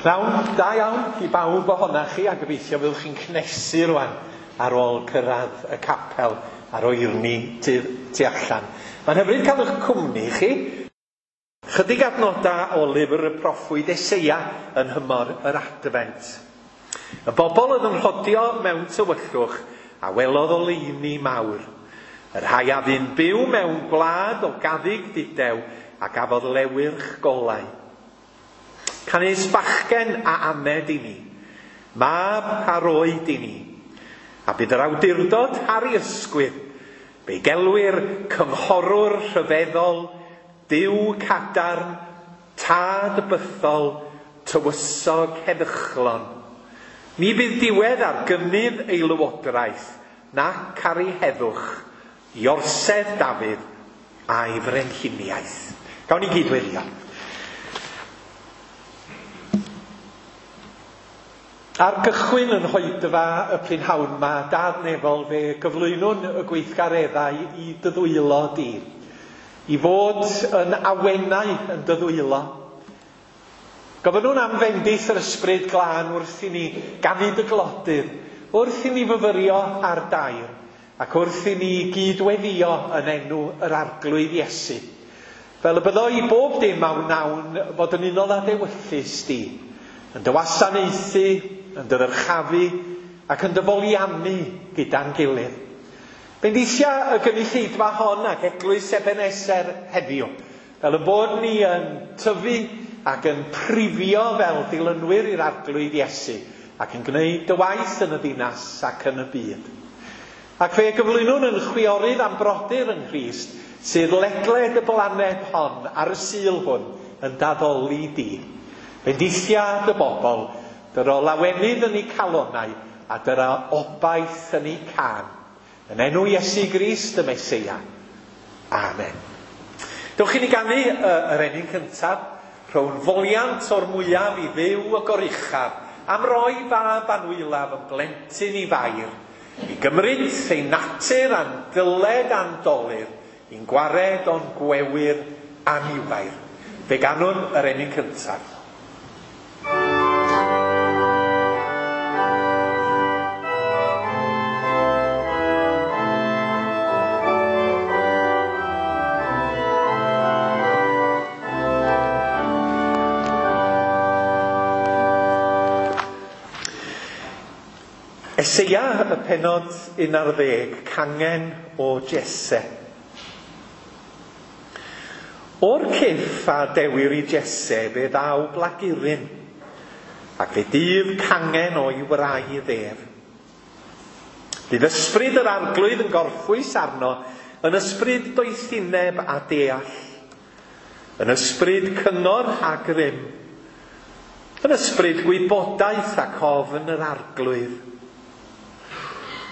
Pnawn da iawn i bawb ohonach chi a gobeithio fyddwch chi'n cnesu rwan ar ôl cyrraedd y capel a'r oerni tu, tu allan. Mae'n hyfryd cael eich cwmni chi. Chydig adnodau o lyfr y proffwyd Eseia yn nhymor yr Adfent. Y bobl oedd yn rhodio mewn tywyllwch a welodd oleuni mawr. Y rhai a fu'n byw mewn gwlad o gaddug dudew a gafodd lewyrch golau. Canys bachgen a aned i ni, mab a roed i ni, a bydd yr awdurdod ar ei ysgwydd, fe'i gelwir cynghorwr rhyfeddol, Duw cadarn, tad bythol, tywysog heddychlon. Ni bydd diwedd ar gynnydd ei lywodraeth, nac ar ei heddwch, i orsedd Dafydd a'i frenhiniaeth. Gawn ni gyd weddio. Ar gychwyn yn hoedfa y prynhawn ma, Dad Nefol, fe gyflwynwn y gweithgareddau i dy ddwylo di, i fod yn awenau yn dy ddwylo. Gofynnwn am fendith yr Ysbryd Glân wrth i ni ganu dy glodydd, wrth i ni fyfyrio ar dair, ac wrth i ni gyd-weddïo yn enw yr Arglwydd Iesu. Fel y byddo i bob dim a wnawn fod yn unol â d'ewyllys di, yn dy wasanaethu, yn dy ddyrchafu, ac yn dy foliannu gyda'n gilydd. Bendithia y gynulleidfa hon ac eglwys Ebeneser heddiw, fel y bod ni yn tyfu ac yn prifio fel dilynwyr i'r Arglwydd Iesu, ac yn gwneud dy waith yn y ddinas ac yn y byd. Ac fe gyflwynwn yn chwiorydd a'n brodyr yng Nghrist sydd ledled y blaned hon ar y Sul hwn yn d'addoli di. Bendithia dy bobl, dyro lawenydd yn eu calonnau a dyro obaith yn eu cân. Yn enw Iesu Grist y Meseia. Amen. Dewch i ni ganu yr emyn cyntaf, rhown foliant o'r mwyaf i Dduw y Goruchaf, am roi fab anwylaf yn blentyn i Fair, i gymryd ein natur a'n dyled a'n dolur, i'n gwared o'n gwewyr aniwair. Fe ganwn yr emyn cyntaf. Eseia, y pennod 11, cangen o Jesse. O'r cyff a dewir i Jesse fe ddaw blaguryn, ac fe dyf cangen o'i wraidd ef. Bydd ysbryd yr Arglwydd yn gorffwys arno, yn ysbryd doethineb a deall, yn ysbryd cyngor a grym, yn ysbryd gwybodaeth ac ofn yr Arglwydd.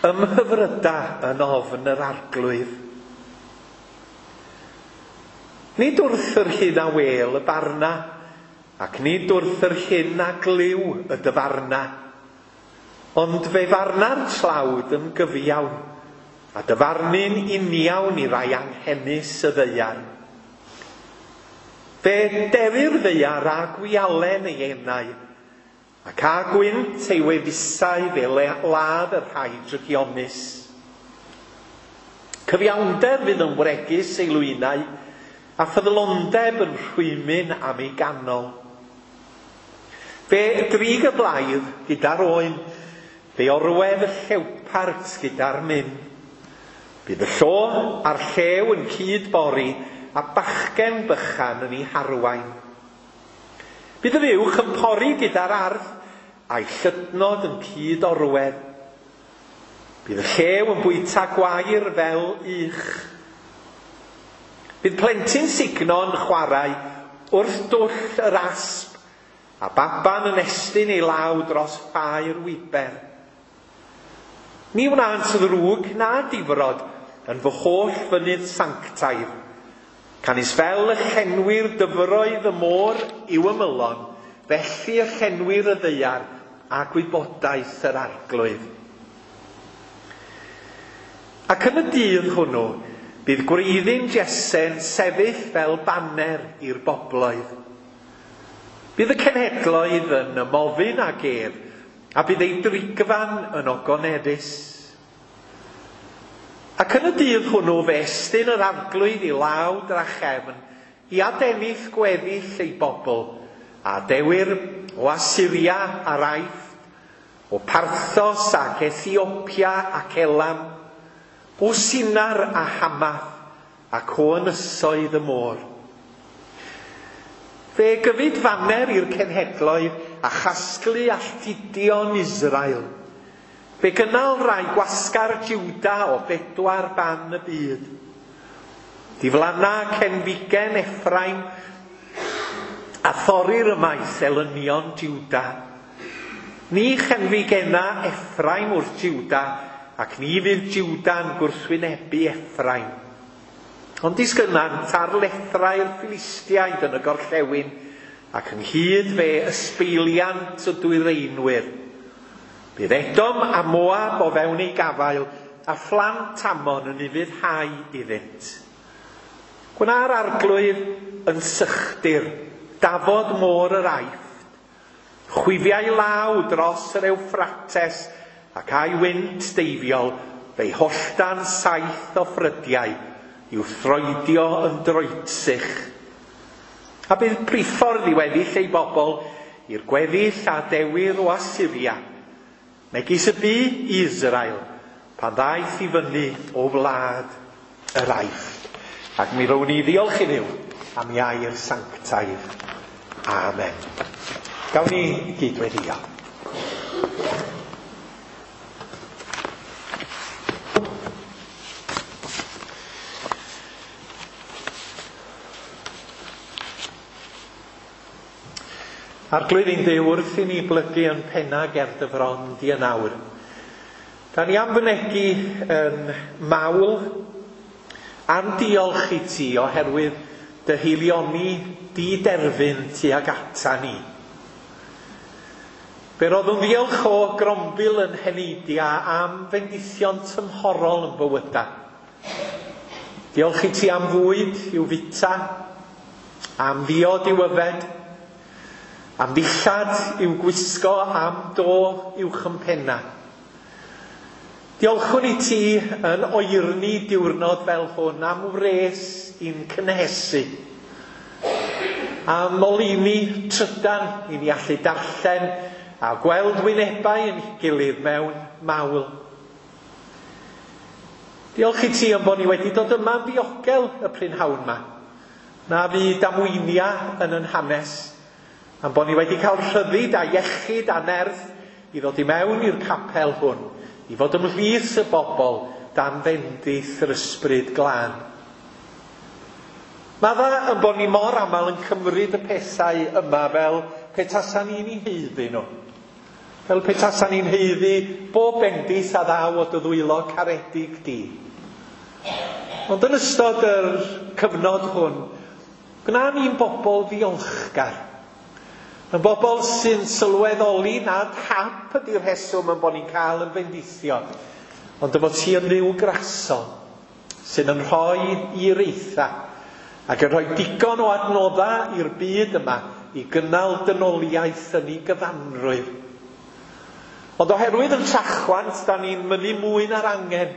Ymhyfryda yn ofn yr Arglwydd. Nid wrth yr hyn a wel y barna, ac nid wrth yr hyn a glyw y dyfarna, ond fe farna'r tlawd yn gyfiawn, a dyfarnu'n uniawn i rai anghenus y ddaear. Fe derir ddaear â gwialen ei enau, ac â gwynt ei wefusau fe ladd y rhai drygionus. Cyfiawnder fydd yn wregus ei lwynau, a ffyddlondeb yn rhwymyn am ei ganol. Fe drig y blaidd gyda'r oen, fe orwedd y llewpart gyda'r myn. Bydd y llo a'r llew yn cyd-bori, a bachgen bychan yn ei harwain. Bydd y fuwch yn pori gyda'r arth, a'i llydnod yn cyd-orwedd. Bydd y llew yn bwyta gwair fel ych. Bydd plentyn sugno yn chwarae wrth dwll yr asp, a baban yn estyn ei law dros ffair wiber. Ni wnânt ddrwg na difrod yn fy holl fynydd sanctaidd, canys fel y llenwir dyfroedd y môr i'w ymylon, felly y llenwir y ddaear a gwybodaeth yr Arglwydd. Ac yn y dydd hwnnw, bydd gwreiddyn Jese'n sefyll fel baner i'r bobloedd. Bydd y cenhedloedd yn ymofyn ag ef, a bydd ei drigfan yn ogoneddus. Ac yn y dydd hwnnw fe estyn yr arglwydd i law drachefn i adennill gweddill ei bobl, a dewir o Asyria a'r Aifft, o Parthos ac Ethiopia ac Elam, o Sinar a Hamath ac o ynysoedd y môr. Fe gyfyd faner i'r cenhedloedd a chasglu alltudion Israel. Fe gynnal rai gwasgar Juda o bedwar ban y byd. Diflanna cenfigen Ephraim a thorir ymaith elynion Juda. Ni chenfigena Ephraim wrth Juda, ac ni fydd Juda'n gwrthwynebu Ephraim. Ond disgynnant ar lethrau'r Philistiaid yn y gorllewin, ac ynghyd fe ysbeiliant y dwyreinwyr. Bydd Edom a Moab o fewn ei gafael, a phlant Ammon yn ufuddhau iddynt. Gwna'r arglwydd yn sychdir, dafod môr yr Aifft, Chwifiai law dros yr Ewffrates ac a'i wynt deifiol fe'i holltan 7 o ffrydiau i'w throedio yn droetsych. A bydd priffordd i weddill ei bobl i'r gweddill a dewir o Asyria, megis y bu i Israel pan ddaeth i fyny o wlad yr Aifft. Ac mi rown ni ddiolch i Dduw am ei air sanctaidd. Amen. Gawn ni gyd-weddïo. Arglwydd ein Duw, wrth i ni blygu yn penna ger dy fron di yn awr, da ni am fynegi yn mawl a'n diolch i ti oherwydd dy haelioni di derfyn tuag ata ni. Fe roddwn ddiolch o grombil yn heneidia am fendithion tymhorol yn bywyda. Diolch i ti am fwyd i'w fita, am ddiod i'w yfed, am ddillad i'w gwisgo, am do i'w chympenna. Diolchwn i ti yn oerni diwrnod fel hwn am wres i'n cynhesu, am oleuni trydan i ni allu darllen a gweld wynebau yn gilydd mewn mawl. Diolch i ti am bod ni wedi dod yma'n ddiogel y prynhawn yma. Na fu damweinia yn yn hanes, am bod ni wedi cael rhyddid a iechyd a nerth i ddod i mewn i'r capel hwn, i fod ymhlith y bobl dan fendith yr ysbryd glân. Mae dda yn bod ni mor aml yn cymryd y pethau yma fel petasa ni'n eu haeddu nhw. Fel petasa ni'n haeddu bob bendith a ddaw o dy ddwylo caredig di. Ond yn ystod yr cyfnod hwn, gwna ni'n bobl ddiolchgar. Yn bobl sy'n sylweddoli nad hap ydy'r rheswm yn bod ni'n cael yn bendithio, ond y bod ti yn Dduw grasol sydd yn rhoi i'r eitha ac yn rhoi digon o adnoddau i'r byd yma i gynnal dynoliaeth yn ei gyfanrwydd. Ond oherwydd yn trachwant, da ni'n mynnu mwy na'r angen.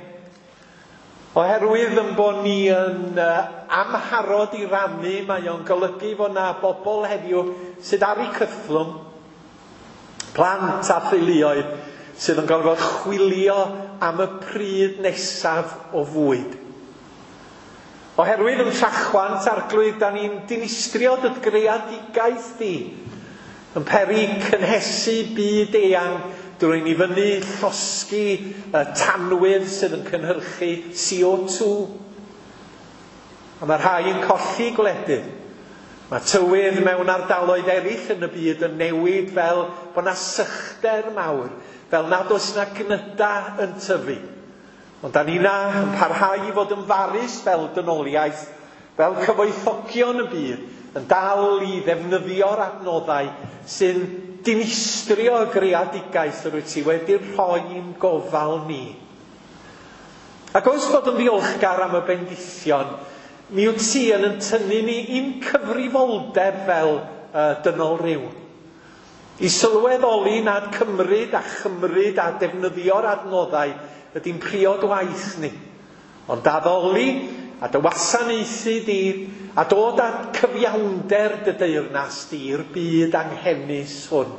Oherwydd yn bod ni yn amharod i rannu, mae o'n golygu fod na bobl heddiw sydd ar eu cythlwng, plant a theuluoedd sydd yn gorfod chwilio am y pryd nesaf o fwyd. Oherwydd yn trachwant, arglwydd, da ni'n dinistrio dy greadigaeth di, yn peri cynhesu byd eang drwy ni fyny llosgi y tanwydd sydd yn cynhyrchu CO2. A mae rhai yn colli gwledydd. Mae tywydd mewn ardaloedd eraill yn y byd yn newid fel bod na sychder mawr, fel nad oes na gnyda yn tyfu. Ond da ni na yn parhau i fod yn farus fel dynoliaeth, fel cyfoethogion y byd, yn dal i ddefnyddio'r adnoddau sy'n dinistrio y greadigaeth yr wyt ti wedi rhoi i'n gofal ni. Ac oes bod yn ddiolchgar am y bendithion, mi wyt ti yn tynnu ni i'n cyfrifoldeb fel dynol ryw. I sylweddoli nad cymryd a chymryd a defnyddio'r adnoddau ydy'n priod waith ni. Ond addoli a dy wasanaethu di a dod â cyfiawnder dy deyrnas di i'r byd anghenus hwn.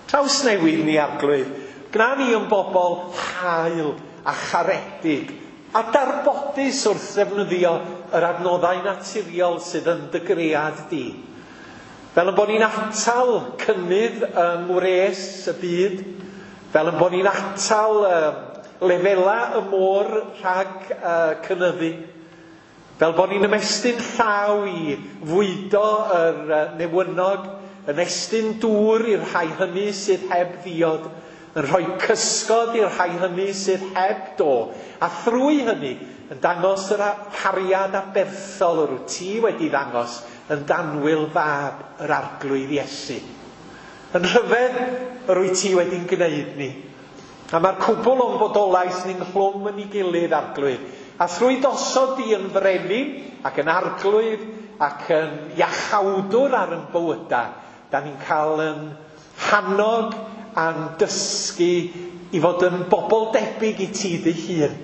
Trawsnewid ni, Arglwydd, gwna ni yn bobl hael a charedig a darbodus wrth ddefnyddio yr adnoddau naturiol sydd yn dy gread di. Fel yn bod ni'n atal cynnydd yng ngwres y byd, fel yn bod ni'n atal lefela y môr rhag cynyddu, fel bod ni'n ymestyn llaw i fwydo yr newynog, yn estyn dŵr i'r rhai hynny sydd heb ddiod, yn rhoi cysgod i'r rhai hynny sydd heb do, a thrwy hynny yn dangos yr cariad aberthol yr wyt ti wedi ddangos yn danwyl fab yr Arglwydd Iesu. Yn rhyfedd yr wyt ti wedi'n gwneud ni. A mae'r cwbl o'n bodolaeth ni'n nghlwm yn ei gilydd, Arglwydd. A thrwy dosod di yn frenin ac yn arglwydd ac yn iachawdwr ar yn bywydau, da ni'n cael yn hannog a'n dysgu i fod yn bobl debyg i ti dy hun.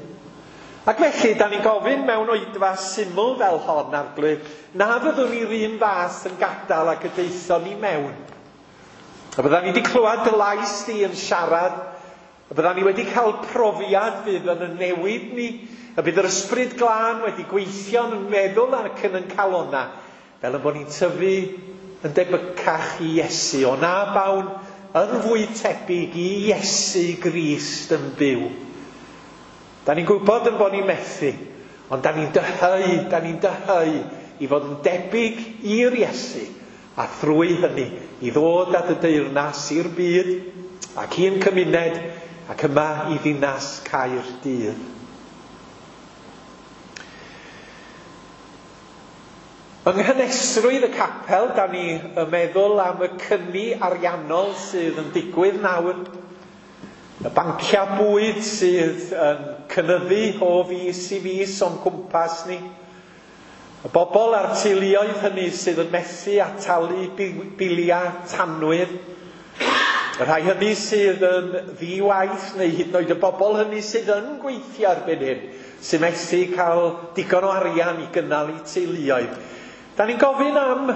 Ac felly, da ni'n gofyn mewn oedfa syml fel hon, Arglwydd, na fyddwn ni'r un fath yn gadael ac y daethon ni mewn. A byddan ni wedi clywed dy lais di yn siarad, a byddan ni wedi cael profiad fydd yn y newid ni, a bydd yr Ysbryd Glân wedi gweithio yn meddwl ac yn yn calonna, fel yn bod ni'n tyfu yn debycach i Iesu, o na bawn yn fwy tebyg i Iesu Grist yn byw. Da ni'n gwybod yn bod ni'n methu, ond da ni'n dyheu i fod yn debyg i'r Iesu, a thrwy hynny i ddod at y deyrnas i'r byd ac i'n cymuned ac yma i ddinas Caerdydd. Yng nghynesrwydd y capel, da ni yn meddwl am y cyni ariannol sydd yn digwydd nawr, y banciau bwyd sydd yn cynyddu o fis i fis o'n cwmpas ni, y bobl a'r teuluoedd hynny sydd yn methu a talu biliau tanwydd, y rhai hynny sydd yn ddi-waith neu hyd yn oed y bobl hynny sydd yn gweithio erbyn hyn, sy'n methu cael digon o arian i gynnal eu teuluoedd. Da ni'n gofyn am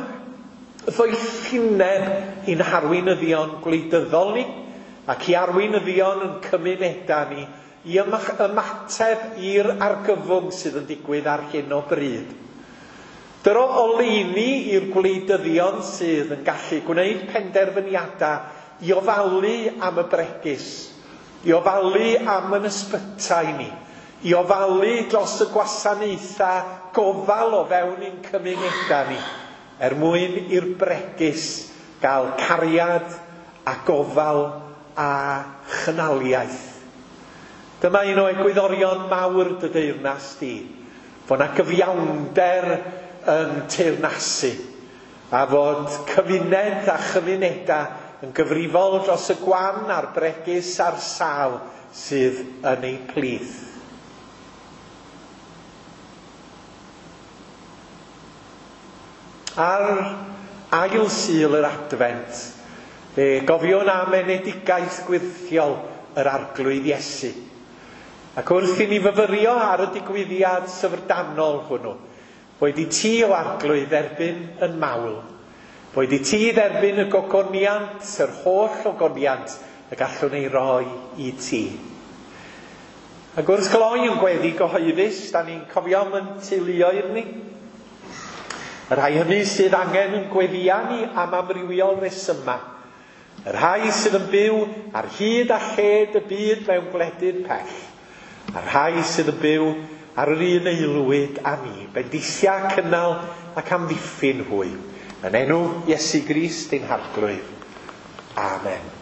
ddoethineb i'n harweinyddion gwleidyddol ni ac i arweinyddion yn cymunedau ni i ymateb i'r argyfwng sydd yn digwydd ar hyn o bryd. Dyro oleuni i'r gwleidyddion sydd yn gallu gwneud penderfyniadau i ofalu am y bregus, i ofalu am yn ysbytai ni, i ofalu dros y gwasanaethau gofal o fewn ein cymunedau ni, er mwyn i'r bregus gael cariad a gofal a chynaliaeth. Dyma un o egwyddorion mawr dy deyrnas di, fod 'na gyfiawnder yn teyrnasu, a fod cymuned a chymunedau yn gyfrifol dros y gwan a'r bregus a'r sâl sydd yn eu plith. Ar ail Sul yr Adfent, fe gofiwn am enedigaeth gwyrthiol yr Arglwydd Iesu. Ac wrth i ni fyfyrio ar y digwyddiad syfrdanol hwnnw, boed i ti o Arglwydd dderbyn yn mawl, boed i ti dderbyn y gogoniant, yr holl ogoniant y gallwn ei roi i ti. Ac wrth gloi yn gweddi gyhoeddus, da ni'n cofio am yn teuluoedd ni, y rhai hynny sydd angen yn gweddia ni am amrywiol resymau, y rhai sydd yn byw ar hyd a lled y byd mewn gwledydd pell, a'r rhai sydd yn byw ar yr un aelwyd â ni, bendithia, cynnal ac amddiffyn hwy. Yn enw Iesu Grist ein Harglwydd. Amen.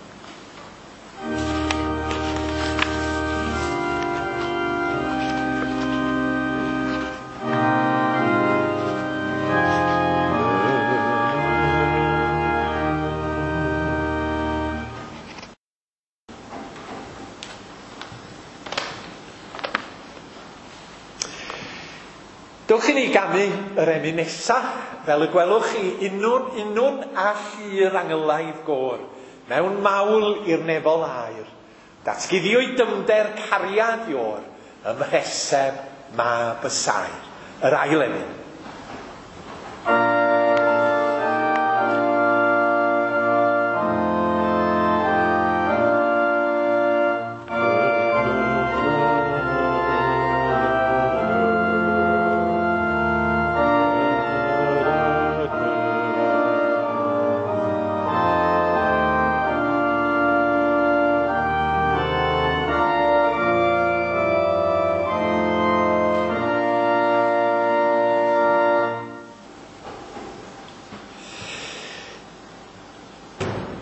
Dewch i ni ganu yr emyn nesaf, fel y gwelwch chi, unwn, unwn a llu'r angylaidd gôr, mewn mawl i'r nefol aer. Datguddiwyd dyfnder cariad Iôr ym mhreseb mab y saer. Yr ail emyn.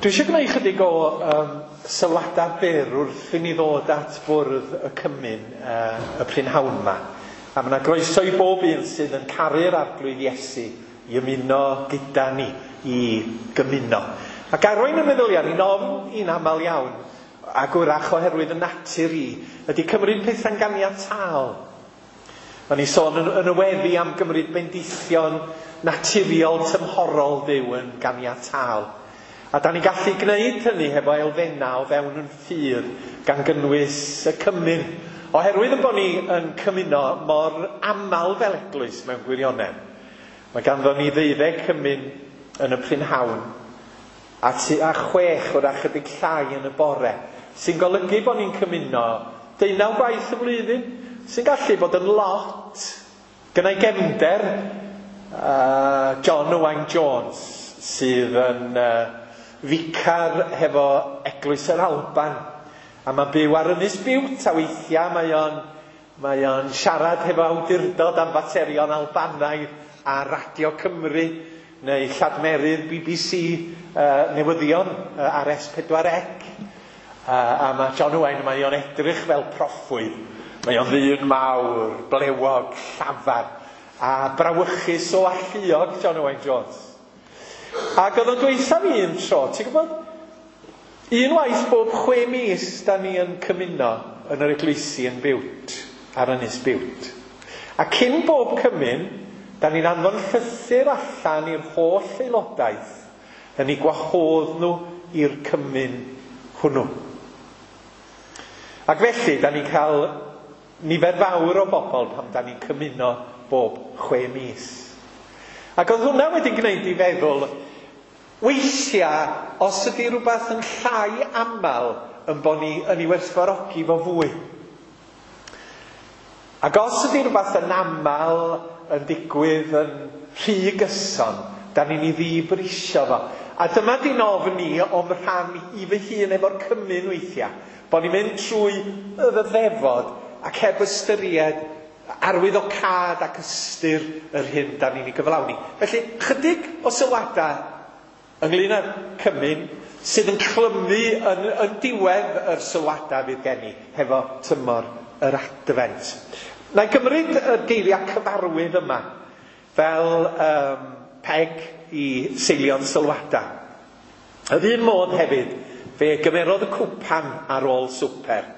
Dwi eisiau gwneud chydig o sylwadau byr wrth i ni ddod at fwrdd y cymun y prynhawn yma. A mae yna groeso i bob un sydd yn caru'r Arglwydd Iesu i ymuno gyda ni, i gymuno. Ac arwain y meddyliau ni'n ofn i'n aml iawn, ac wrach oherwydd y natur i, ydy cymryd pethau'n ganiataol. O'n i sôn yn y weddi am gymryd bendithion naturiol tymhorol Duw yn ganiataol. A da ni'n gallu gwneud hynny hefo elfennau o fewn yn ffydd, gan gynnwys y cymun. Oherwydd yn bod ni yn cymuno mor aml fel eglwys mewn gwirionedd. Mae ganddo ni 12 cymun yn y prynhawn, a 6 wrach chydig llai yn y bore, sy'n golygu bod ni'n cymuno 19 gwaith y flwyddyn, sy'n gallu bod yn lot. Gynna i gefnder John Owain Jones, sydd yn ficar hefo Eglwys yr Alban, a mae'n byw ar Ynys Biwt, a weithiau mae o'n siarad hefo awdurdod am faterion Albanaidd ar Radio Cymru neu lladmerydd BBC newyddion ar S4C. A mae John Owain, mae o'n edrych fel proffwyd. Mae o'n ddyn mawr, blewog, llafar, a brawychus o alluog, John Owain Jones. Ac oedd o'n dweutha fi un tro, ti'n gwybod, unwaith bob 6 mis da ni yn cymuno yn yr eglwysi yn Biwt, ar Ynys Biwt. A cyn bob cymun, da ni'n anfon llythyr allan i'r holl aelodaeth yn eu gwahodd nhw i'r cymun hwnnw. Ac felly, da ni'n cael nifer fawr o bobl pan da ni'n cymuno bob 6 mis. Ac oedd hwnna wedi gwneud i feddwl, weithiau, os ydy rhywbeth yn llai aml yn bod ni yn ei werthfawrogi fo fwy. Ac os ydy rhywbeth yn aml yn digwydd yn rhy gyson, da ni'n ei ddibrisio fo. A dyma di'n ofn ni o'm rhan i fy hun efo'r cymun weithiau, bod ni'n mynd trwy y ddefod ac heb ystyried arwyddocâd ac ystyr yr hyn da ni'n ei gyflawni. Felly, chydig o sylwadau ynglyn â'r cymun sydd yn clymu yn diwedd yr sylwadau fydd gen i hefo tymor yr Adfent. Na i gymryd y geiriau cyfarwydd yma fel peg i seilio'n sylwadau. Yr un modd hefyd, fe gymerodd y cwpan ar ôl swper,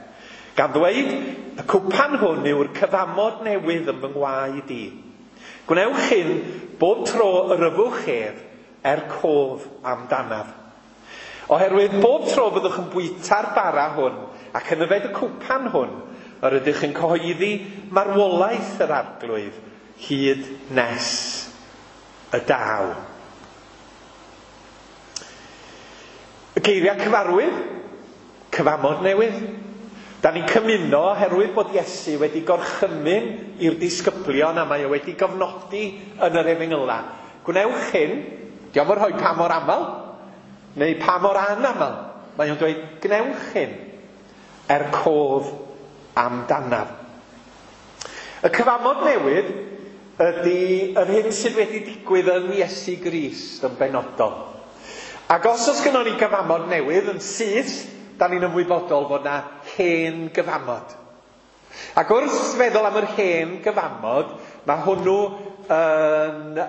gan ddweud, y cwpan hwn yw'r cyfamod newydd yn fy ngwaed i. Gwnewch hyn bob tro yr yfwch ef er cof amdanaf. Oherwydd bob tro byddwch yn bwyta'r bara hwn ac yn yfed y cwpan hwn, yr ydych yn cyhoeddi marwolaeth yr Arglwydd hyd nes y daw. Y geiriau cyfarwydd, cyfamod newydd. Da ni'n cymuno oherwydd bod Iesu wedi gorchymyn i'r disgyblion a mae o wedi gofnodi yn yr Efengyla. Gwnewch hyn, dio'm yn rhoi pa mor aml, neu pa mor anaml. Mae o'n dweud, gwnewch hyn er cof amdanaf. Y cyfamod newydd ydy yr hyn sydd wedi digwydd yn Iesu Grist yn benodol. Ac os oes gynnon ni gyfamod newydd yn syth, da ni'n ymwybodol fod na hen gyfamod. Ac wrth feddwl am yr hen gyfamod, mae hwnnw yn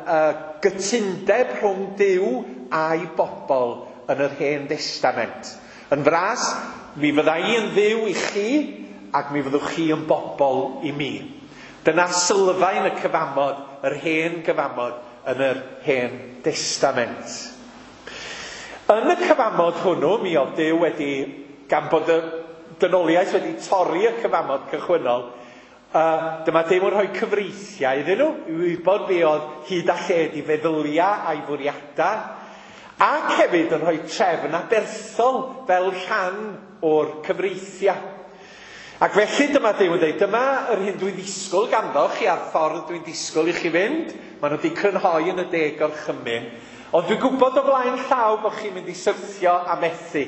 gytundeb rhwng Duw a'i bobl yn yr Hen Destament. Yn fras, mi fydda i yn Dduw i chi, ac mi fyddwch chi yn bobl i mi. Dyna sylfaen y cyfamod, yr hen gyfamod yn yr hen testament. Yn y cyfamod hwnnw, mi oedd Duw wedi, gan bod y dynoliaeth wedi torri y cyfamod cychwynnol, dyma Duw yn rhoi cyfreithiau iddyn nhw, i wybod be oedd hyd a lled i feddyliau a'i fwriadau, ac hefyd yn rhoi trefn aberthol fel rhan o'r cyfreithiau. Ac felly dyma Duw yn dweud, dyma yr hyn dwi'n ddisgwyl ganddo chi a'r ffordd dwi'n disgwyl i chi fynd. Maen nhw wedi crynhoi yn y 10 gorchymyn. Ond dwi'n gwybod o flaen llaw bod chi'n mynd i syrthio a methu.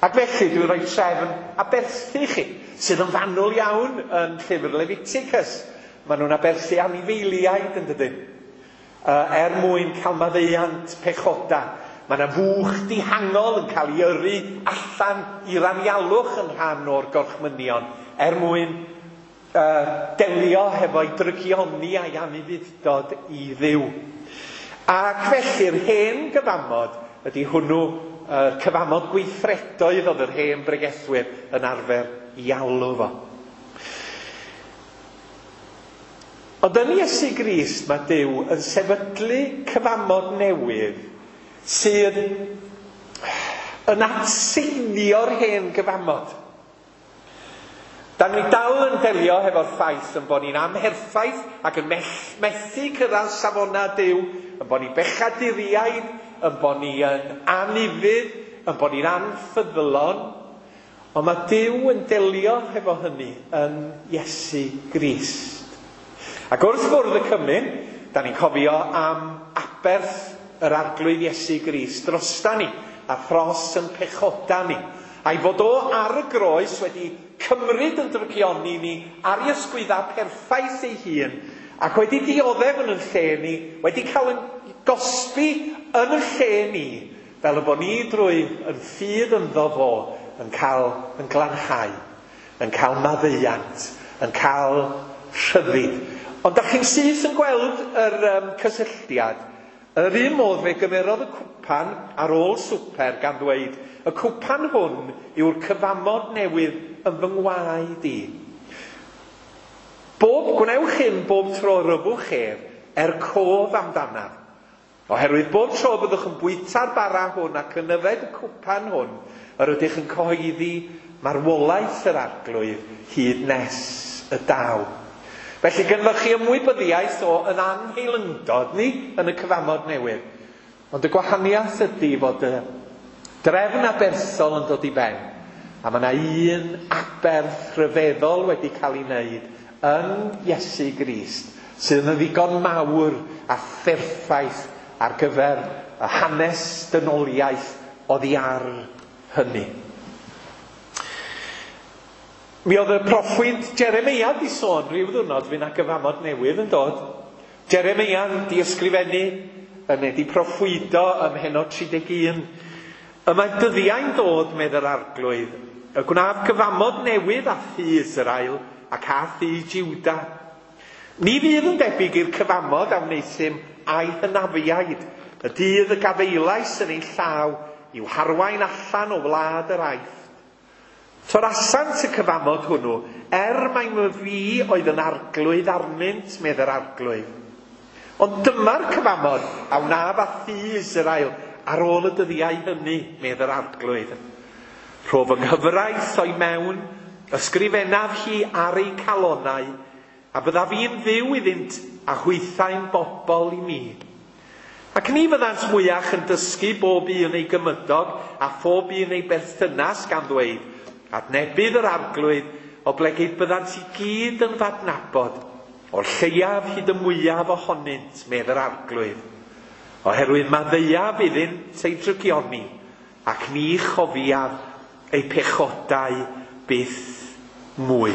Ac felly dwi'n rhoi trefn aberthu i chi, sydd yn fanwl iawn yn llyfr Leviticus. Maen nhw'n aberthu anifeiliaid yn dydyn, er mwyn cael maddeuant pechoda. Mae yna fwch dihangol yn cael ei yrru allan i'r anialwch yn rhan o'r gorchmynion er mwyn delio hefo'i drygioni a'i anufudd-dod i Dduw. Ac felly'r hen gyfamod ydy hwnnw, yr cyfamod gweithredoedd oedd yr hen bregethwyr yn arfer i alw fo. Ond yn Iesu Grist mae Duw yn sefydlu cyfamod newydd sydd yn atseinio'r hen gyfamod. Da ni dal yn delio hefo'r ffaith yn bod ni'n amherffaith ac yn methu cyrraedd safonau Duw, yn bod ni'n bechaduriaid, yn bod ni yn anufudd, yn bod ni'n anffyddlon. Ond mae Duw yn delio hefo hynny yn Iesu Grist. Ac wrth fwrdd y cymun, da ni'n cofio am aberth yr Arglwydd Iesu Grist drosta ni a thros yn pechoda ni. A'i fod o ar y groes wedi cymryd yn drygioni ni ar ei ysgwydda perffaith ei hun ac wedi dioddef yn y lle ni, wedi cael yn gosbi yn y lle ni, fel y bod ni drwy yn ffydd ynddo fo yn cael yn glanhau, yn cael maddeuant, yn cael rhyddid. Ond da chi'n syth yn gweld yr cysylltiad. Yr un modd fe gymerodd y cwpan ar ôl swper gan ddweud, y cwpan hwn yw'r cyfamod newydd yn fy ngwaed i. Bob gwnewch hyn bob tro rhyfwch ef, er cof amdanaf. Oherwydd bob tro byddwch yn bwyta'r bara hwn ac yn yfed y cwpan hwn, yr ydych yn cyhoeddi marwolaeth yr Arglwydd hyd nes y daw. Felly gynnoch chi ymwybyddiaeth o yn anheilyngdod ni yn y cyfamod newydd. Ond y gwahaniaeth ydy fod y drefn aberthol yn dod i ben. A mae yna un aberth rhyfeddol wedi cael ei wneud yn Iesu Grist, sydd yn ddigon mawr a pherffaith ar gyfer y hanes dynoliaeth oddi ar hynny. Mi oedd y proffwyd Jeremeia di sôn rhyw ddwrnod fydd 'na gyfamod newydd yn dod. Jeremeia di ysgrifennu yn wedi proffwydo ym mhennod 31. Y mae dyddiau'n dod, medd yr Arglwydd, y gwnaf gyfamod newydd â thŷ Israel ac â thŷ Jiwda. Ni fydd yn debyg i'r cyfamod a wneuthum a'i hynafiaid, y dydd y gafeilais yn ei llaw i'w harwain allan o wlad yr Aifft. Torasant y cyfamod hwnnw, er mai fi oedd yn arglwydd arnynt, medd yr Arglwydd. Ond dyma'r cyfamod a wnaf â thŷ Israel ar ôl y dyddiau hynny, medd yr Arglwydd. Rho fy nghyfraith o'i mewn, ysgrifennaf hi ar eu calonau, a byddaf i'n Dduw iddynt a hwythau'n bobl i mi. Ac ni fyddant mwyach yn dysgu bob un ei gymydog a phob un ei berthynas gan ddweud, adnebydd yr Arglwydd, oblegid byddant i gyd yn f'adnabod, o'r lleiaf hyd y mwyaf ohonynt, medd yr Arglwydd. Oherwydd maddeuaf iddynt eu drygioni, ac ni chofiaf eu pechodau byth mwy.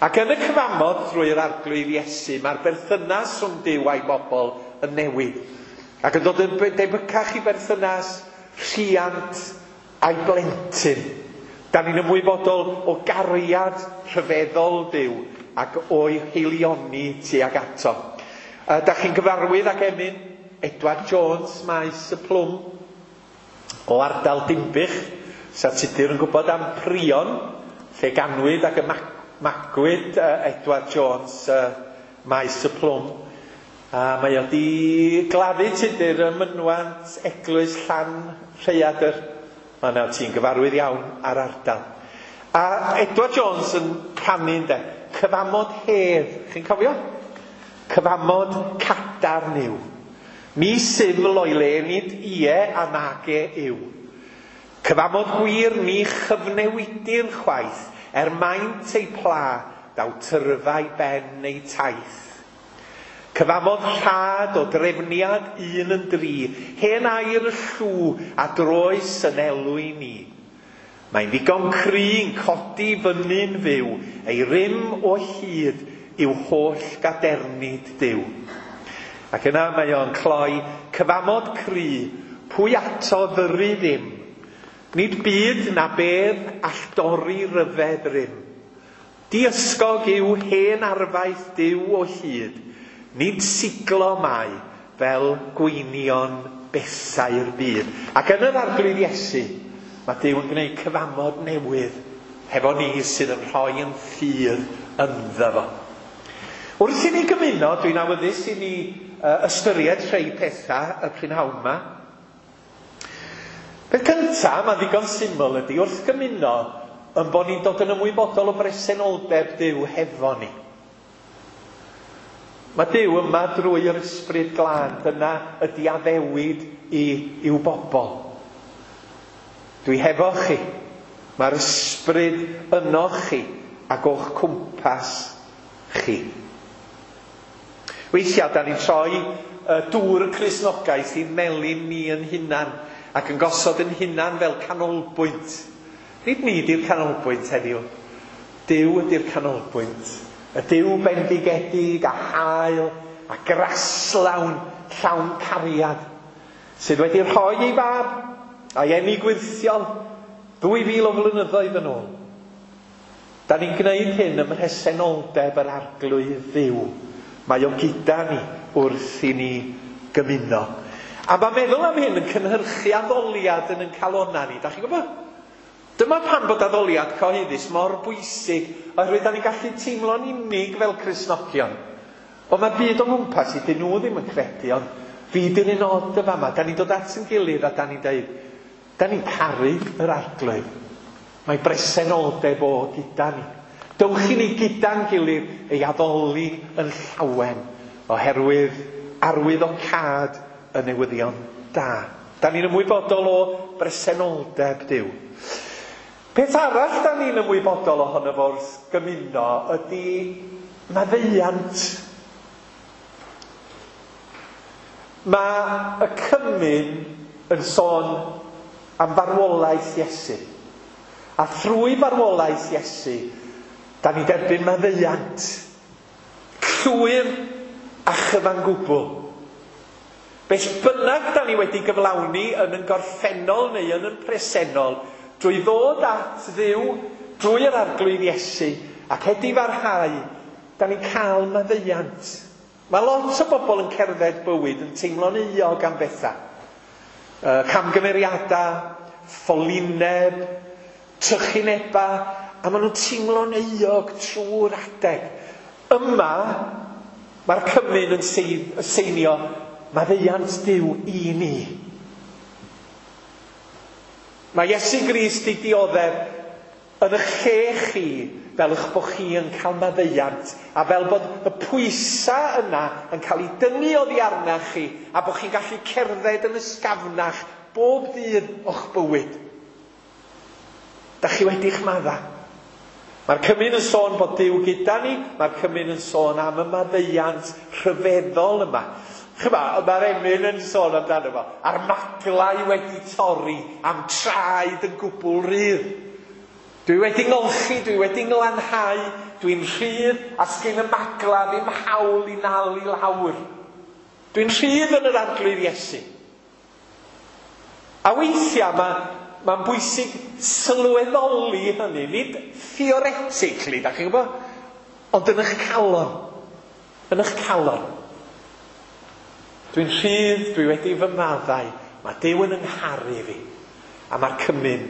Ac yn y cyfamod drwy'r Arglwydd Iesu, mae'r berthynas rhwng Duw a'i bobl yn newid. Ac yn dod yn debycach i berthynas rhiant a'i blentyn. Da ni'n ymwybodol o gariad rhyfeddol Duw ac o'i heilioni tuag ato. Da chi'n gyfarwydd ag emyn Edward Jones, Maes y Plwm, o ardal Dinbych. Sa Tudur yn gwybod am Prion, lle ganwyd ac Magwyd Edward Jones Maes y Plwm. A mae o di gladdu Tudur ym mynwant Eglwys Llanrhaeadr. Mae yna ti'n gyfarwydd iawn ar ardal. A Edward Jones yn canu ynde, cyfamod hedd, chi'n cofio? Cyfamod cadarn yw. Ni syml o'i le, nid ie a nage yw. Cyfamod gwir ni chyfnewidir chwaith, er maint ei pla, daw tyrfau ben ei taith. Cyfamod rhad o drefniad 1 yn 3, hen air y llw a droes yn elw i ni. Mae'n ddigon cry'n codi fyny'n fyw, ei rym o hyd i'w holl gadernid Duw. Ac yna mae o'n cloi cyfamod cry, pwy ato ddyru ddim. Nid byd na bedd all dorri ryfedd rym. Diysgog yw hen arfaeth Duw o hyd, nid siglo mae fel gweinion bethau'r byd. Ac yn yr Arglwydd Iesu, mae Duw yn gwneud cyfamod newydd hefo ni sydd yn rhoi yn ffydd ynddo fo. Wrth i ni gymuno, dwi'n awyddus i ni ystyried rhai pethau y prynhawn yma. Peth cyntaf, mae'n ddigon syml ydy, wrth gymuno, yn bod ni'n dod yn ymwybodol o bresenoldeb Duw hefo ni. Mae Duw yma drwy yr Ysbryd Glân, dyna ydy addewid i'w bobl. Dwi hefo chi, mae'r Ysbryd yno chi ac o'ch cwmpas chi. Weithiau, da ni'n troi dŵr y Cristnogaeth i'n melyn ni yn hunan ac yn gosod yn hunan fel canolbwynt. Nid ni di'r canolbwynt heddiw. Duw ydy'r canolbwynt. Y Duw bendigedig a hael a graslawn llawn cariad sydd wedi rhoi ei fab a'i eni gwyrthiol 2000 o flynyddoedd yn ôl. Da ni'n gwneud hyn ym mhresenoldeb yr Arglwydd Dduw. Mae o gyda ni wrth i ni gymuno. A mae meddwl am hyn yn cynhyrchu addoliad yn ein calonnau ni. Da chi'n gwybod? Dyma pam bod addoliad cyhoeddus mor bwysig, oherwydd da ni'n gallu teimlo'n unig fel Cristnogion. Ond mae'r byd o'n gwmpas i, dyn nhw ddim yn credu, ond fi di'r un od y fama. Da ni'n dod at yn gilydd a da ni'n deud, da ni'n caru yr Arglwydd. Mae bresenoldeb o gyda ni. Dewch i ni gyda'n gilydd ei addoli yn llawen, oherwydd arwyddocâd y newyddion da. Da ni'n ymwybodol o bresenoldeb Duw. Peth arall da ni'n ymwybodol ohono fo wrth gymuno ydy maddeuant. Mae y cymun yn sôn am farwolaeth Iesu. A thrwy farwolaeth Iesu, da ni'n derbyn maddeuant llwyr a chyfan gwbl. Beth bynnag da ni wedi gyflawni yn yn gorffennol neu yn yn presennol, drwy ddod at Dduw, drwy yr Arglwydd Iesu, ac edifarhau, da ni'n cael maddeuant. Mae lot o bobl yn cerdded bywyd yn teimlo'n euog am bethau. Camgymeriadau, ffolineb, trychineba, a maen nhw'n teimlo'n euog trwy'r adeg. Yma, mae'r cymun yn seinio maddeuant Duw i ni. Mae Iesu Grist di dioddef yn eich lle chi fel eich bod chi yn cael maddeuant a fel bod y pwysau yna yn cael ei dynnu oddi arnach chi a bod chi'n gallu cerdded yn ysgafnach bob dydd o'ch bywyd. Da chi wedi'ch madda. Mae'r cymun yn sôn bod Duw gyda ni, mae'r cymun yn sôn am y maddeuant rhyfeddol yma. Chyma, mae'r emyn yn sôn amdano fo, a'r maglau wedi torri, am traed yn gwbl rydd. Dwi wedi ngolchi, dwi wedi nglanhau, dwi'n rhydd, a sgyn y magla ddim hawl i nal i lawr. Dwi'n rhydd yn yr Arglwydd Iesu. A weithiau mae'n bwysig sylweddoli hynny, nid theoretically, da chi'n gwybod? Ond yn eich calon. Yn eich calon. Dwi'n rhydd, dwi wedi fy maddau, mae Duw yn yngharu fi, a mae'r cymun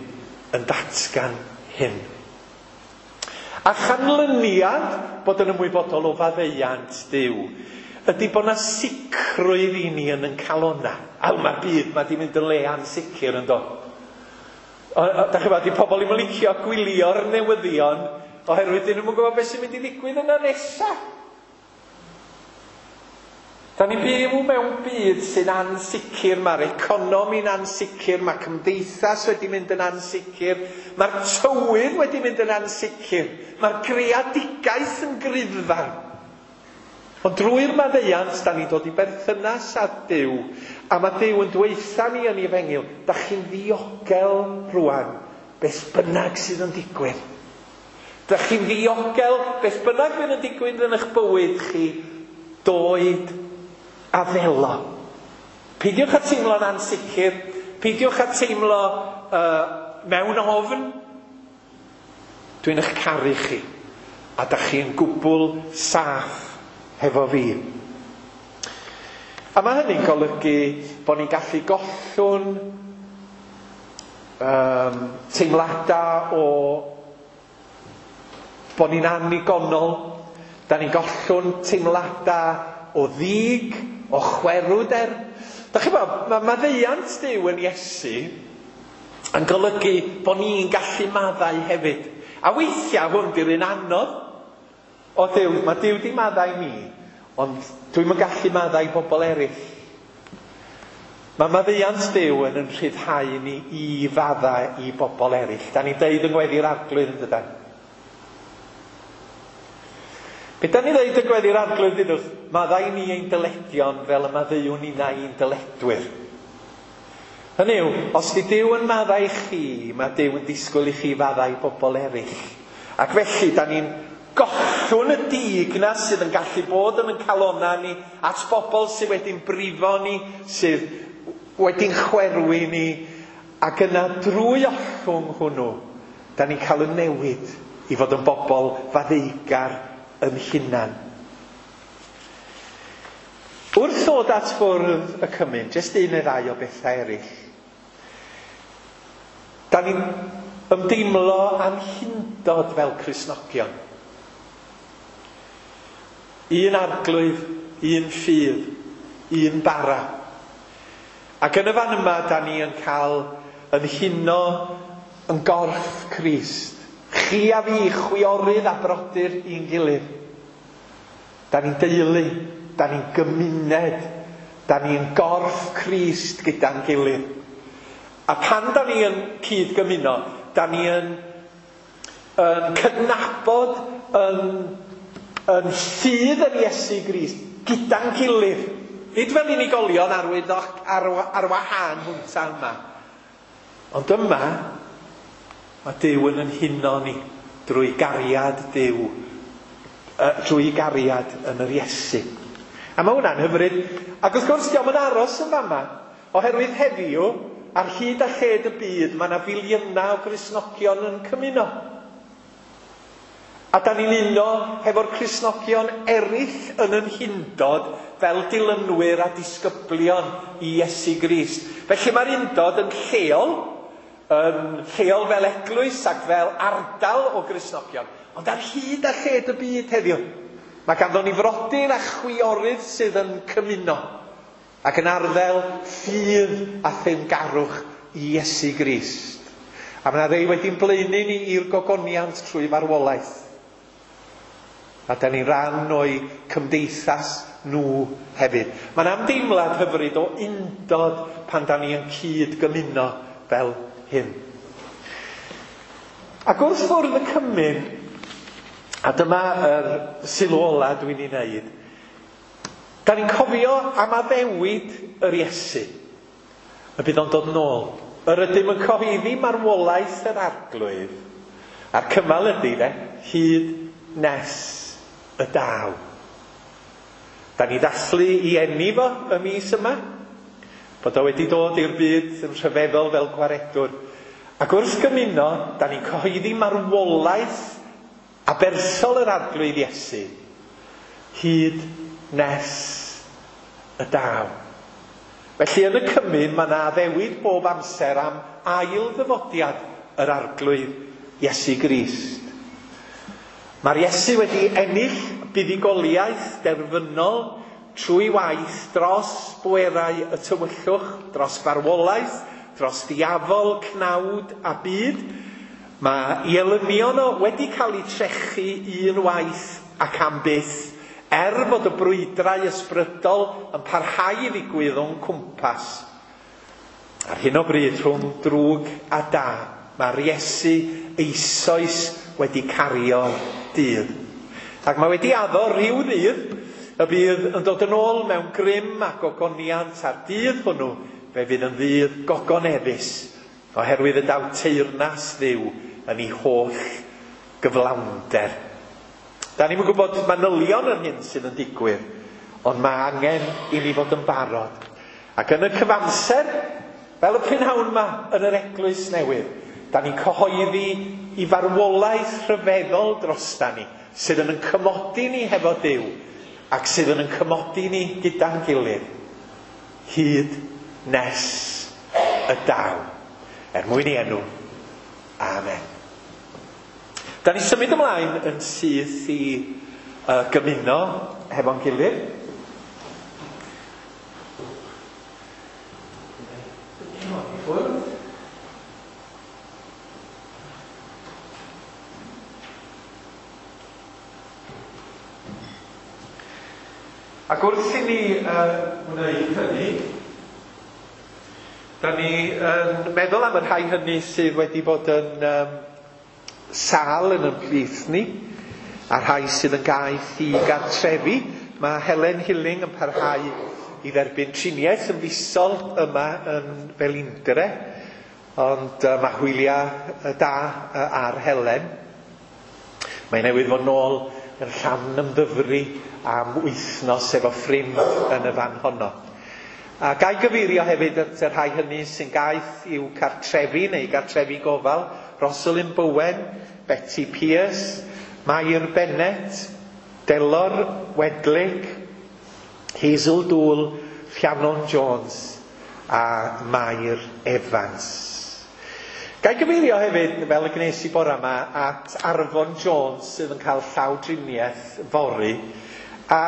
yn datgan hyn. A chanlyniad bod yn ymwybodol o faddeuant Duw ydy bod 'na sicrwydd i ni yn ein calonna. A mae'r byd ma 'di mynd yn le ansicr, yn do? Da chi'n gwybod, 'di pobl ddim yn licio gwylio'r newyddion oherwydd dyn nhw'm yn gwybod beth sy'n mynd i ddigwydd yna nesa. Da ni'n byw mewn byd sy'n ansicr, mae'r economi'n ansicr, mae cymdeithas wedi mynd yn ansicr, mae'r tywydd wedi mynd yn ansicr, mae'r greadigaeth yn griddfan. Ond drwy'r maddeuant, da ni'n dod i berthynas â Duw, a mae Duw yn dweutha ni yn ei efengyl, da chi'n ddiogel rwan, beth bynnag sydd yn digwydd. Da chi'n ddiogel, beth bynnag fydd yn digwydd yn eich bywyd chi, doed a ddelo. Peidiwch â teimlo'n ansicr, peidiwch â teimlo mewn ofn. Dwi'n eich caru chi, a da chi yn gwbl saff hefo fi. A mae hynny'n golygu bod ni'n gallu gollwng teimladau o bod ni'n annigonol. Da ni'n gollwng teimladau o ddig, o chwerwder. Da chi'n gwybod, mae maddeuant Duw yn Iesu yn golygu bod ni'n gallu maddau hefyd. A weithiau hwn di'r un anodd. O Duw, mae Duw di maddau ni, ond dwi'm yn gallu maddau bobl eraill. Mae maddeuant Duw yn yn rhyddhau ni i faddau i bobl eraill. Da ni'n deud yng Ngweddi'r Arglwydd, yn dydan? Be da ni'n dweud yng Ngweddi'r Arglwydd, dudwch? Maddau ni ein dyledion fel y maddeuwn ninnau i'n dyledwyr. Hynny yw, os di Duw yn maddau chi, mae Duw yn disgwyl i chi faddau bobl eraill. Ac felly, da ni'n gollwng y dig na sydd yn gallu bod yn ein calonna ni at bobl sydd wedi'n brifo ni, sydd wedi'n chwerwi ni, ac yna drwy ollwng hwnnw, da ni'n cael y newid i fod yn bobl faddeugar yn hunan. Wrth ddod at fwrdd y cymun, jyst un neu ddau o bethau eraill. Da ni'n ymdeimlo â'n hundod fel Cristnogion. Un arglwydd, un ffydd, un bara. Ac yn y fan yma, da ni yn cael yn huno yn gorff Crist. Chi a fi, chwiorydd a brodyr i'n gilydd. Da ni'n deulu, da ni'n gymuned, da ni'n gorff Crist gyda'n gilydd. A pan da ni yn cyd-gymuno, da ni yn cydnabod yn ffydd yn Iesu Grist gyda'n gilydd. Nid fel unigolion ar wahân hwnta yma. Ond yma, mae Duw yn huno ni drwy gariad Duw, drwy gariad yn yr Iesu. A mae hwnna'n hyfryd. Ac wrth gwrs, dio'm yn aros yn fama, oherwydd heddiw, ar hyd a lled y byd, mae yna filiynau o Gristnogion yn cymuno. A da ni'n uno hefo'r Cristnogion eraill yn yn hundod fel dilynwyr a disgyblion i Iesu Grist. Felly mae'r undod yn lleol fel eglwys ac fel ardal o Gristnogion, ond ar hyd a lled y byd heddiw. Mae ganddo ni frodyr a chwiorydd sydd yn cymuno ac yn arddel ffydd a theyrngarwch i Iesu Grist. A mae yna rei wedi'n blaenu ni i'r gogoniant trwy farwolaeth. A da ni'n rhan o'i cymdeithas nhw hefyd. Mae'n ymdeimlad hyfryd o undod pan da ni yn cyd-gymuno fel hyn. Ac wrth fwrdd y cymun, a dyma yr sylw ola dwi'n ei wneud, da ni'n cofio am addewid yr Iesu, y bydd o'n dod nôl. Yr ydym yn cyhoeddi marwolaeth yr Arglwydd, a'r cymal ydy de, hyd nes y daw. Da ni ddathlu i eni fo y mis yma, bod o wedi dod i'r byd yn rhyfeddol fel gwaredwr. Ac wrth gymuno, da ni'n cyhoeddi marwolaeth abersol yr Arglwydd Iesu, hyd nes y daw. Felly yn y cymun mae yna addewid bob amser am ail ddyfodiad yr Arglwydd Iesu Grist. Mae'r Iesu wedi ennill buddugoliaeth derfynol trwy waith dros bwerau y tywyllwch, dros farwolaeth, dros ddiafol, cnawd a byd. Mae ei elynion o wedi cael eu trechu un waith ac am byth, er fod y brwydrau ysbrydol yn parhau i ddigwydd o'n cwmpas. Ar hyn o bryd rhwng drwg a da, mae'r Iesu eisoes wedi cario dydd. Ac mae wedi addo rhyw ddydd y bydd yn dod yn ôl mewn grym a gogoniant, a'r dydd hwnnw fe fydd yn ddydd gogoneddus, oherwydd y daw teyrnas Dduw yn ei holl gyflawnder. Da ni'm yn gwybod manylion yr hyn sydd yn digwydd, ond mae angen i ni fod yn barod. Ac yn y cyfamser, fel y prynhawn yma yn yr eglwys newydd, da ni'n cyhoeddi i farwolaeth rhyfeddol drosta ni, sydd yn cymodi ni hefo Duw, ac sydd yn cymodi ni gyda'n gilydd, hyd nes y daw. Er mwyn i enw. Amen. Da ni symud ymlaen yn syth i gymuno hefo'n gilydd. Ac wrth i ni wneud hynny, da ni yn meddwl am y rhai hynny sydd wedi bod yn sâl yn ymhlith ni, a rhai sydd yn gaeth i gartrefi. Mae Helen Hilling yn parhau i dderbyn triniaeth yn fisol yma yn Felindre, ond mae hwyliau da ar Helen. Mae newydd fod nôl yn Llanymddyfri am wythnos efo ffrind yn y fan honno. A gai gyfeirio hefyd at y rhai hynny sy'n gaeth i'w cartrefi neu gartrefi gofal: Rosalind Bowen, Betty Pierce, Mair Bennett, Delor Wedlick, Hazel Dool, Rhiannon Jones a Mair Evans. Gai gyfeirio hefyd, fel y gwnes i bore yma, at Arfon Jones sydd yn cael llawdriniaeth fory. A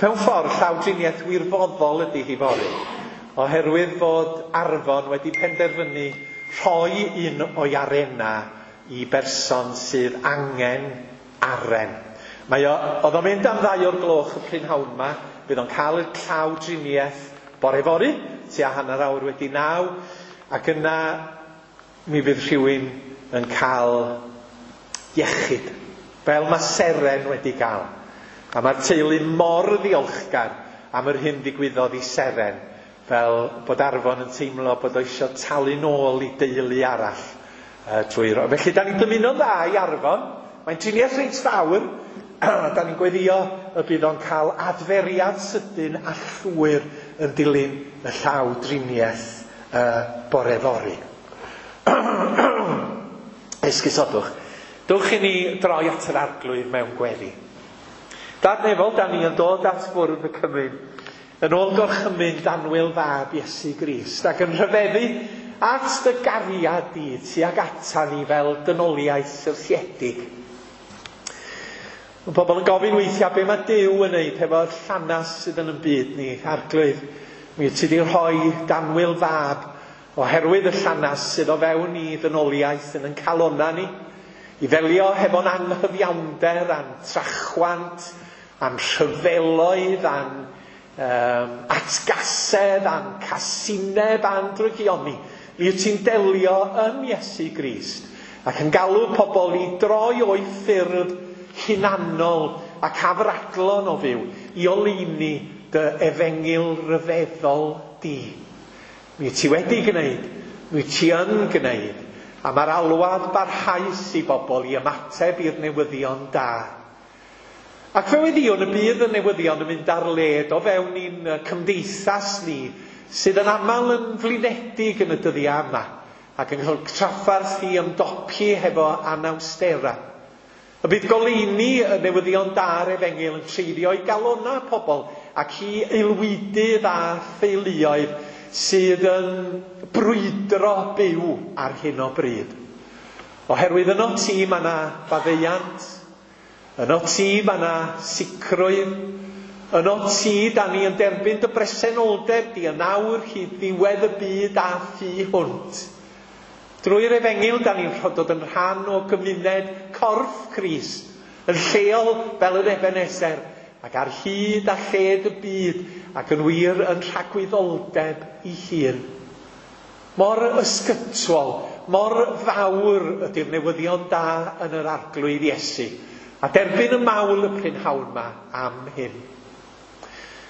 mewn ffordd, llawdriniaeth wirfoddol ydy hi fory, oherwydd fod Arfon wedi penderfynu rhoi un o'i arena i berson sydd angen aren. Mae o, oedd o'n mynd am 2 o'r gloch y prynhawn yma, bydd o'n cael y llawdriniaeth bore fory, tua 9:30, ac yna mi fydd rhywun yn cael iechyd, fel mae Seren wedi gael. A mae'r teulu mor ddiolchgar am yr hyn ddigwyddodd i Seren, fel bod Arfon yn teimlo bod o eisiau talu nôl i deulu arall trwy ro. Felly, da ni'n dymuno'n dda i Arfon. Mae'n triniaeth reit fawr. Da ni'n gweddio y bydd o'n cael adferiad sydyn a llwyr yn dilyn y llaw driniaeth bore fory. Esgusodwch. Dewch i ni droi at yr Arglwydd mewn gweddi. Dad nefol, da ni yn dod at fwrdd y cymun, yn ôl gorchymyn danwyl fab Iesu Grist, ac yn rhyfeddu at dy gariad di tuag ata ni fel dynoliaeth syrthiedig. Mae pobl yn gofyn weithiau be mae Duw yn neud hefo'r llanas sydd yn y byd ni. Arglwydd, mi ti di rhoi danwyl fab oherwydd y llanas sydd o fewn i ddynoliaeth yn ein calonna ni, i ddelio hefo'n anghyfiawnder a'n trachwant, a'n rhyfeloedd, a'n atgasedd, a'n casineb, a'n drygioni. Mi wyt ti'n delio yn Iesu Grist ac yn galw pobl i droi o'i ffyrdd hunanol ac afradlon o fyw i oleuni dy efengyl ryfeddol di. Mi wyt ti wedi gwneud, mi wyt ti yn gwneud, a mae'r alwad barhaus i bobl i ymateb i'r newyddion da. Ac fe weddïwn y bydd y newyddion yn mynd ar led o fewn i'n cymdeithas ni, sydd yn aml yn flinedig yn y dyddiau yma, ac yn cael trafferth i ymdopi hefo anawstera. Y bydd goleuni y newyddion da'r efengyl yn treiddio i galonnau pobl ac i aelwydydd a theuluoedd sydd yn brwydro byw ar hyn o bryd. Oherwydd yno ti mae yna faddeuant, Yno ti mae yna sicrwydd. Yno ti, da ni yn derbyn dy bresenoldeb di yn awr hyd ddiwedd y byd a thu hwnt. Drwy'r efengyl, da ni'n dod yn rhan o gymuned corff Crist, yn lleol fel yr Ebenezer, ac ar hyd a lled y byd, ac yn wir yn rhagwyddoldeb ei hun. Mor ysgytwol, mor fawr ydy'r newyddion da yn yr Arglwydd Iesu, a derbyn y mawl y prynhawn yma am hyn.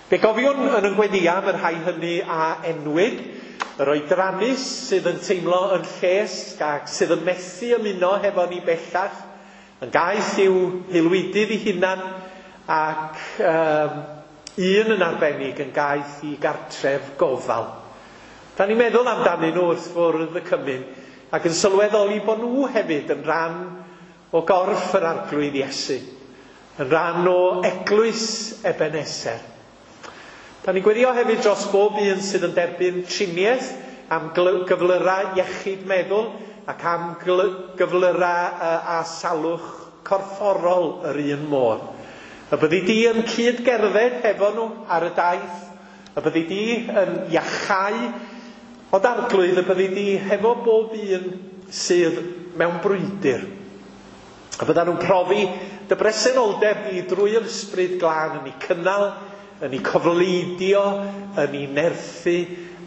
Fe gofiwn yn y gweddia am y rhai hynny a enwyd, yr oedrannus sydd yn teimlo yn llesg ac sydd yn methu ymuno hefo ni bellach, yn gaeth i'w haelwydydd ei hunan ac un yn arbennig yn gaeth i gartref gofal. Da ni'n meddwl amdanyn nhw wrth fwrdd y cymun ac yn sylweddoli bod nhw hefyd yn rhan o gorff yr Arglwydd Iesu, yn rhan o eglwys Ebenezer. Da ni'n gweddio hefyd dros bob un sydd yn derbyn triniaeth am gyflyrau iechyd meddwl ac am gyflyrau a salwch corfforol yr un modd. Y byddi di yn cyd-gerdded hefo nhw ar y daith, y byddi di yn iachau, ond Arglwydd y byddi di hefo bob un sydd mewn brwydr. Y byddan nhw'n profi dy bresenoldeb di drwy'r Ysbryd Glân yn eu cynnal, yn eu cofleidio, yn eu nerthu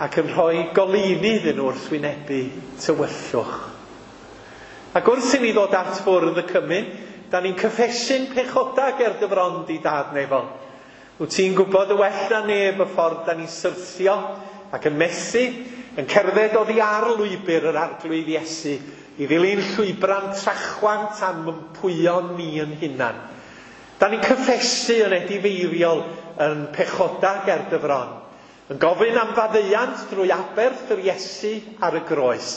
ac yn rhoi goleuni iddyn nhw wrth wynebu tywyllwch. Ac wrth i ni ddod at fwrdd y cymun, da ni'n cyffesu'n pechoda ger dy fron di Dad nefol. Wyt ti'n gwybod y well na neb y ffordd da ni'n syrthio ac yn methu, yn cerdded oddi ar lwybr yr Arglwydd Iesu i ddilyn llwybrau'n trachwant a'n mympwyon ni yn hunan. Da ni'n cyffesu yn edifeiriol yn pechoda ger dy fron, yn gofyn am faddeuant drwy aberth yr Iesu ar y groes,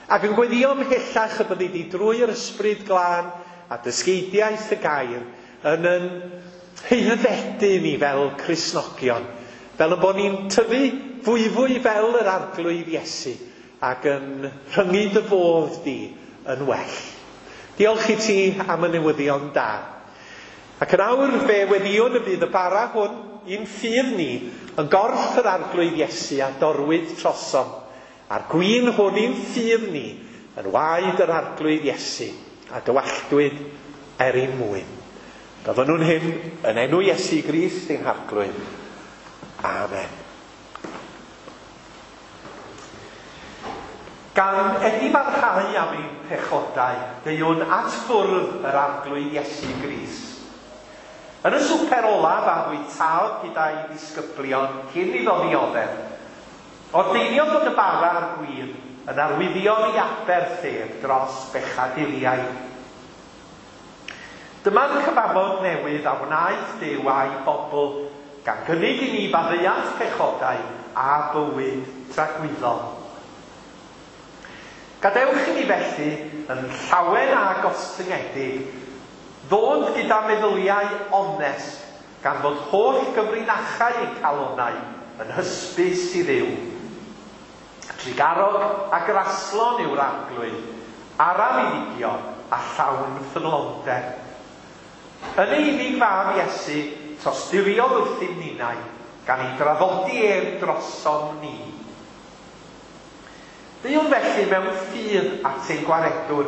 ac yn gweddio ymhellach y byddi di drwy'r Ysbryd Glân a dysgeidiaeth y gair yn yn haeddfedu ni fel Cristnogion, fel y bod ni'n tyfu fwyfwy fel yr Arglwydd Iesu ac yn rhyngu dy fodd di yn well. Diolch i ti am y newyddion da. Ac yn awr fe weddïwn y bydd y bara hwn i'n ffydd ni yn gorff yr Arglwydd Iesu a dorwyd trosom, a'r gwin hwn i'n ffydd ni yn waed yr Arglwydd Iesu a dywalltwyd er ein mwyn. Gofynnwn hyn yn enw Iesu Grist ein Harglwydd. Amen. Gan edifarhau am ein pechodau, deuwn at fwrdd yr Arglwydd Iesu Grist. Yn y swper olaf a fwytaodd gyda'i ddisgyblion cyn iddo ddioddef, ordeiniodd fod y bara a'r gwin yn arwyddion i aberth ef dros bechaduriaid. Dyma'r cyfamod newydd a wnaeth Duw a'i bobl, gan gynnig i ni faddeuant pechodau a bywyd tragwyddol. Gadewch i ni felly, yn llawen a gostyngedig, ddod gyda meddyliau onest, gan fod holl gyfrinachau ein calonnau yn hysbys i Dduw. Trugarog a graslon yw'r Arglwydd, araf i ddigio a llawn ffyddlondeb. Yn ei unig fab Iesu, tosturiodd wrthym ninnau, gan ei draddodi ef drosom ni. Deuwn felly mewn ffydd at ein gwaredwr.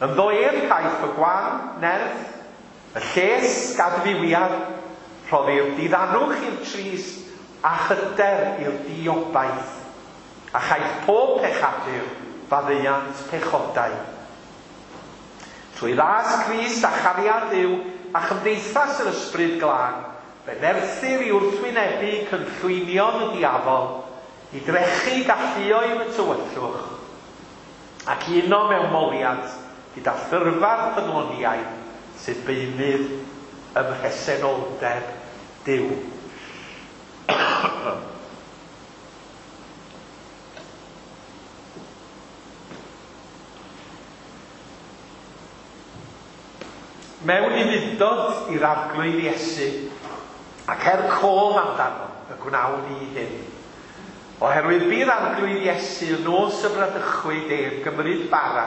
Ynddo ef caiff y gwan, nerth, y lles, gadfywiad, rhoddir diddanwch i'r trist a hyder i'r diobaith, a chaiff pob pechadur faddeuant pechodau. Trwy ras Crist a chariad Duw a chymdeithas yr Ysbryd Glân, fe nerthir i wrthwynebu cynllwynion y diafol, i drechu galluoedd y tywyllwch, ac i uno mewn moliant gyda thyrfa'r ffyddloniaid sydd beunydd ym mhresenoldeb Duw. Mewn ufudd-dod i'r Arglwydd Iesu, ac er cof amdano, y gwnawn ni hyn. Oherwydd bu'r Arglwydd Iesu y nos y bradychwyd ef gymryd bara,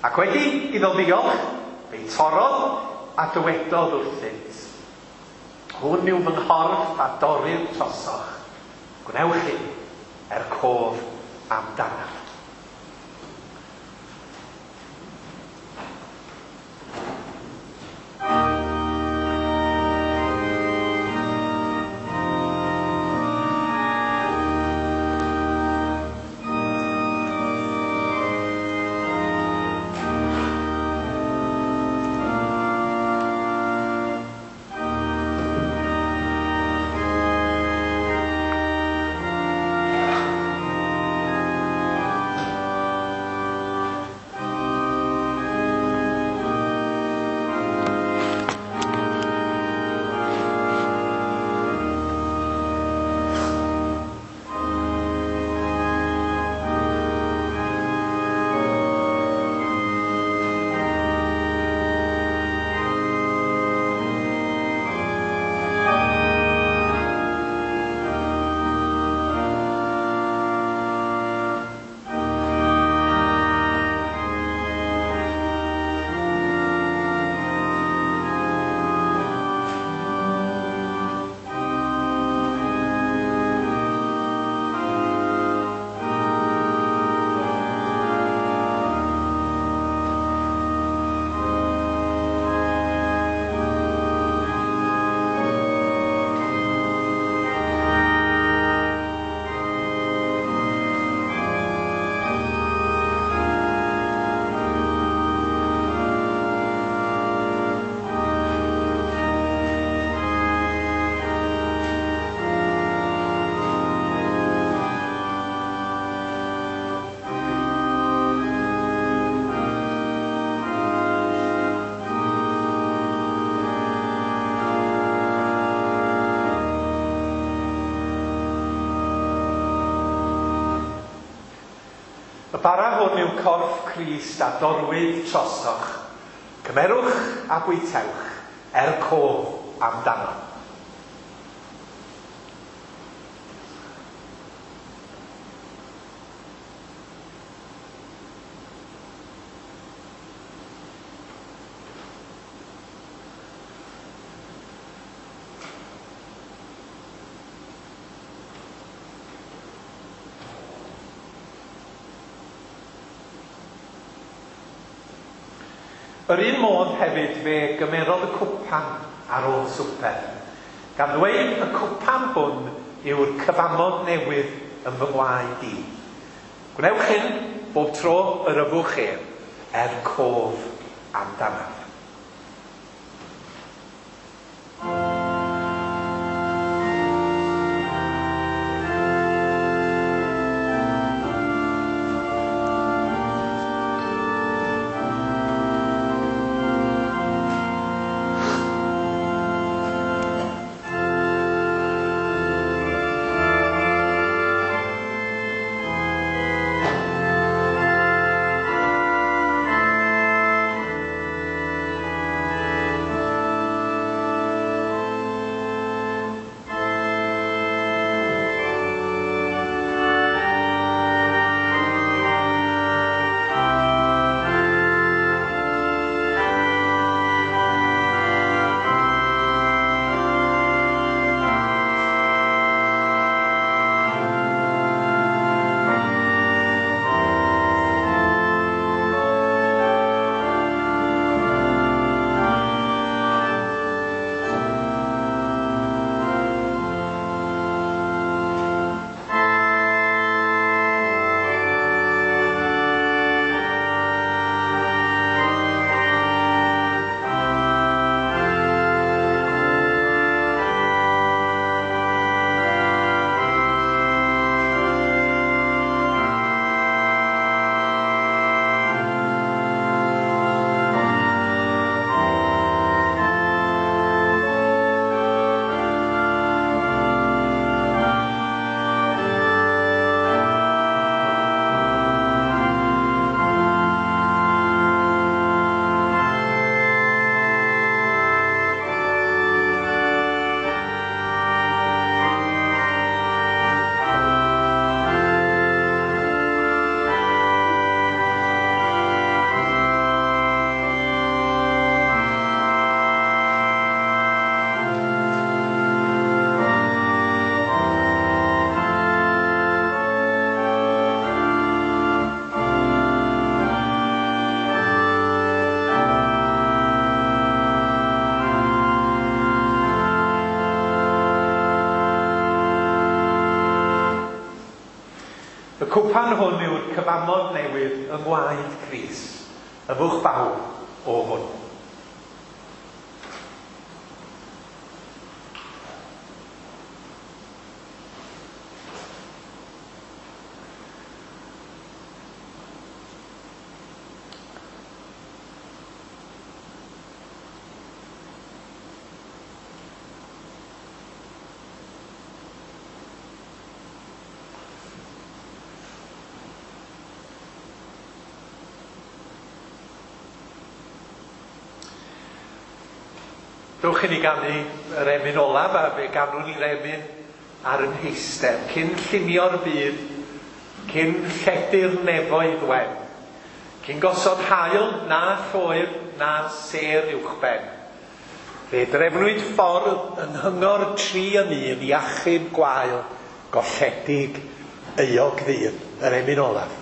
ac wedi iddo ddiolch, fe'i torrodd a dywedodd wrthynt, "Hwn yw fy nghorff a dorrir trosoch. Gwnewch hyn er cof amdanaf." Y bara hwn yw corff Crist a dorwyd trosoch. Cymerwch a bwytewch er cof amdano. Yr un modd hefyd fe gymerodd y cwpan ar ôl swper, gan ddweud, "Y cwpan hwn yw'r cyfamod newydd yn fy ngwaed i. Gwnewch hyn bob tro yr yfwch ef, er cof amdanaf." Y cwpan hwn yw'r cyfamod newydd yng ngwaed Crist, yfwch bawb o hwn. Dewch i ni ganu yr emyn olaf, a fe ganwn ni'r emyn ar yn heistedd, cyn llunio'r byd, cyn lledu'r nefoedd wen, cyn gosod haul na lloer na sêr uwchben. Fe drefnwyd ffordd yng nghyngor tri yn un i achub gwael golledig euog ddyn, yr emyn olaf.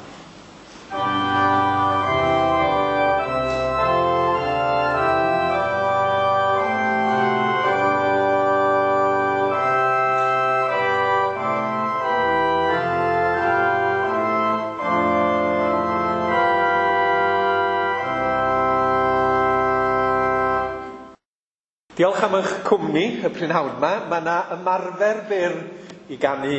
Diolch am eich cwmni y prynhawn yma. Mae yna ymarfer byr i ganu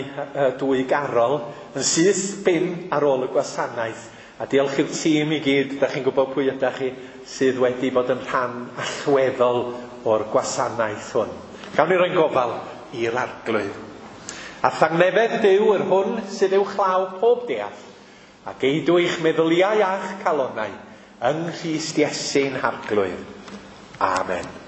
dwy garol yn syth bin ar ôl y gwasanaeth. A diolch i'r tîm i gyd, da chi'n gwybod pwy ydych chi, sydd wedi bod yn rhan allweddol o'r gwasanaeth hwn. Gawn ni roi'n gofal i'r Arglwydd. A thangnefedd Duw yr hwn sydd uwchlaw pob deall, a geidw eich meddyliau a'ch calonnau yng Nghrist Iesu'n Harglwydd. Amen.